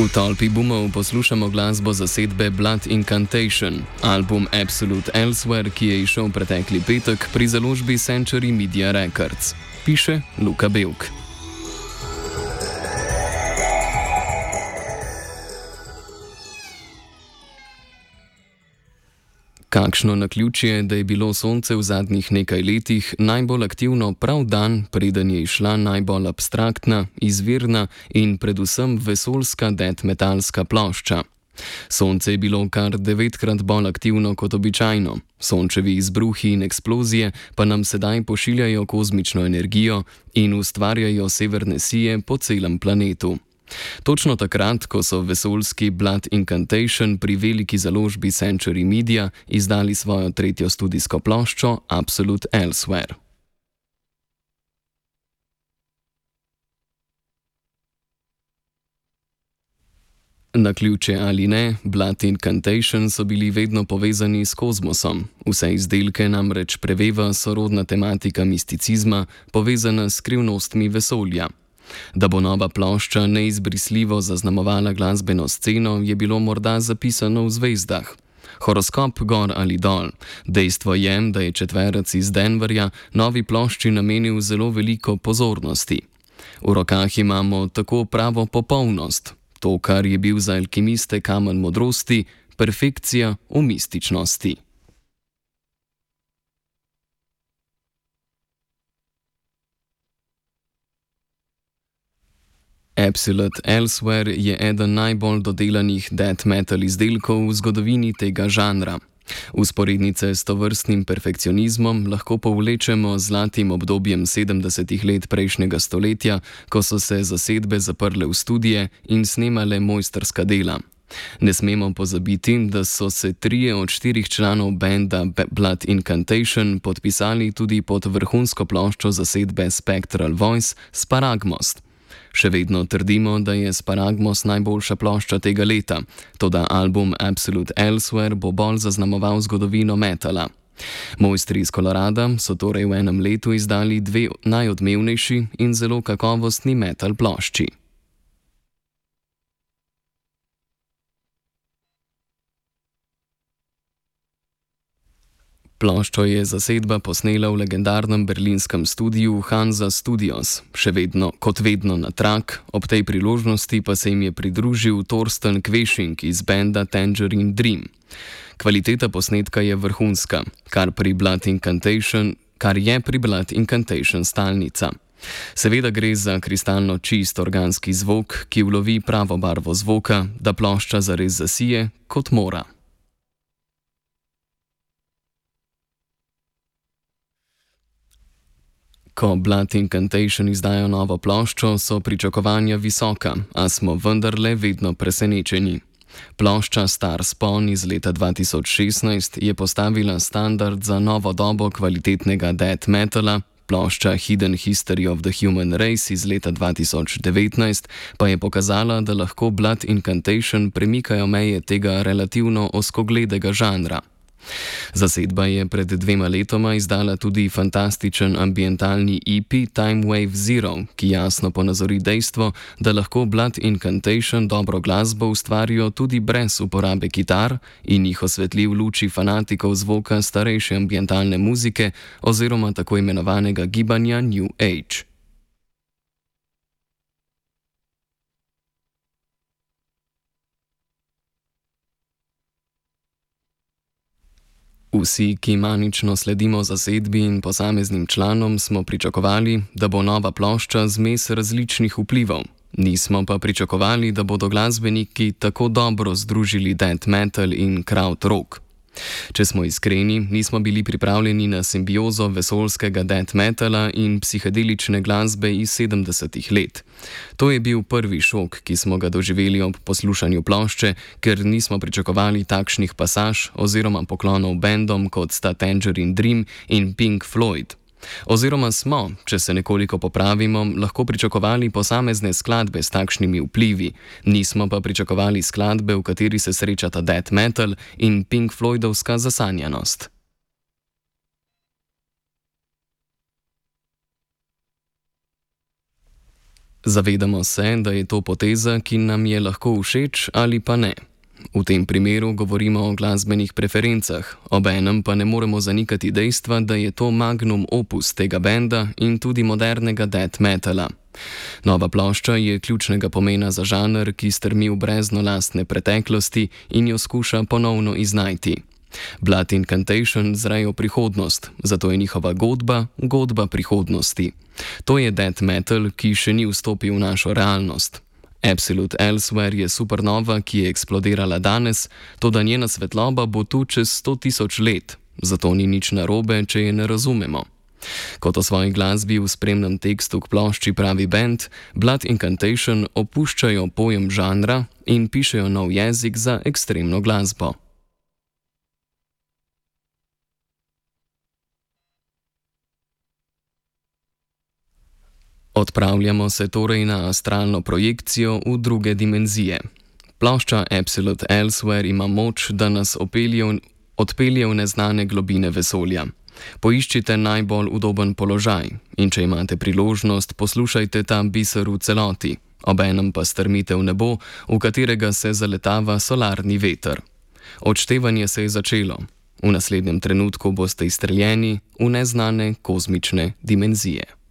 V tolpi boomov poslušamo glasbo zasedbe Blood Incantation, album Absolute Elsewhere, ki je izšel pretekli petek pri založbi Century Media Records. Piše Luka Belk. Kakšno naključje, da je bilo Sonce v zadnjih nekaj letih najbolj aktivno prav dan, preden je izšla najbolj abstraktna, izvirna in predvsem vesoljska death metalska plošča. Sonce je bilo kar 9-krat bolj aktivno kot običajno. Sončevi izbruhi in eksplozije pa nam sedaj pošiljajo kozmično energijo in ustvarjajo severne sije po celem planetu. Točno takrat, ko so vesoljski Blood Incantation pri veliki založbi Century Media izdali svojo tretjo studijsko ploščo Absolute Elsewhere. Naključje ali ne, Blood Incantation so bili vedno povezani s kozmosom. Vse izdelke namreč preveva sorodna tematika misticizma, povezana s skrivnostmi vesolja. Da bo nova plošča neizbrisljivo zaznamovala glasbeno sceno, je bilo morda zapisano v zvezdah. Horoskop gor ali dol. Dejstvo je, da je četverec iz Denverja novi plošči namenil zelo veliko pozornosti. V rokah imamo tako pravo popolnost, to, kar je bil za alkimiste kamen modrosti, perfekcija v mističnosti. Absolute Elsewhere je eden najbolj dodelanih death metal izdelkov v zgodovini tega žanra. Vzporednice s tovrstnim perfekcionizmom lahko povlečemo z zlatim obdobjem 70. let prejšnjega stoletja, ko so se zasedbe zaprle v studije in snemale mojstrska dela. Ne smemo pozabiti, da so se 3 od 4 članov benda Blood Incantation podpisali tudi pod vrhunsko ploščo zasedbe Spectral Voice Sparagmost. Še vedno trdimo, da je Sparagmos najboljša plošča tega leta, toda album Absolute Elsewhere bo bolj zaznamoval zgodovino metala. Mojstri iz Colorada so torej v enem letu izdali 2 najodmevnejši in zelo kakovostni metal plošči. Ploščo je zasedba posnela v legendarnem berlinskem studiu Hansa Studios, kot vedno na trak, ob tej priložnosti pa se jim je pridružil Thorsten Quäsching iz benda Tangerine Dream. Kvaliteta posnetka je vrhunska, kar je pri Blood Incantation stalnica. Seveda gre za kristalno čist organski zvok, ki ulovi pravo barvo zvoka, da plošča zares zasije, kot mora. Ko Blood Incantation izdajo novo ploščo, so pričakovanja visoka, a smo vendarle vedno presenečeni. Plošča Star Spawn iz leta 2016 je postavila standard za novo dobo kvalitetnega death metala, plošča Hidden History of the Human Race iz leta 2019 pa je pokazala, da lahko Blood Incantation premikajo meje tega relativno ozkogledega žanra. Zasedba je pred 2 letoma izdala tudi fantastičen ambientalni EP Time Wave Zero, ki jasno ponazori dejstvo, da lahko Blood Incantation dobro glasbo ustvarijo tudi brez uporabe kitar in jih osvetli v luči fanatikov zvoka starejše ambientalne muzike oziroma tako imenovanega gibanja New Age. Vsi, ki manično sledimo zasedbi in posameznim članom, smo pričakovali, da bo nova plošča zmes različnih vplivov. Nismo pa pričakovali, da bodo glasbeniki tako dobro združili death metal in krautrock. Če smo iskreni, nismo bili pripravljeni na simbiozo vesoljskega death metala in psihedelične glasbe iz 70. let. To je bil prvi šok, ki smo ga doživeli ob poslušanju plošče, ker nismo pričakovali takšnih pasaž oziroma poklonov bendom kot sta Tangerine Dream in Pink Floyd. Oziroma smo, če se nekoliko popravimo, lahko pričakovali posamezne skladbe s takšnimi vplivi, nismo pa pričakovali skladbe, v kateri se srečata death metal in Pink Floydovska zasanjanost. Zavedamo se, da je to poteza, ki nam je lahko všeč ali pa ne. V tem primeru govorimo o glasbenih preferencah, obenem pa ne moremo zanikati dejstva, da je to magnum opus tega benda in tudi modernega death metala. Nova plošča je ključnega pomena za žanr, ki strmi v brezno lastne preteklosti in jo skuša ponovno iznajti. Blood Incantation zrejo prihodnost, zato je njihova godba prihodnosti. To je death metal, ki še ni vstopil v našo realnost. Absolute Elsewhere je supernova, ki je eksplodirala danes, toda njena svetloba bo tu čez 100.000 let, zato ni nič narobe, če je ne razumemo. Kot o svoji glasbi v spremnem tekstu k plošči pravi bend, Blood Incantation opuščajo pojem žanra in pišejo nov jezik za ekstremno glasbo. Odpravljamo se torej na astralno projekcijo v druge dimenzije. Plošča Absolute Elsewhere ima moč, da nas odpelje v neznane globine vesolja. Poiščite najbolj udoben položaj in če imate priložnost, poslušajte ta biser v celoti, obenem pa strmite v nebo, v katerega se zaletava solarni veter. Odštevanje se je začelo. V naslednjem trenutku boste izstreljeni v neznane kozmične dimenzije.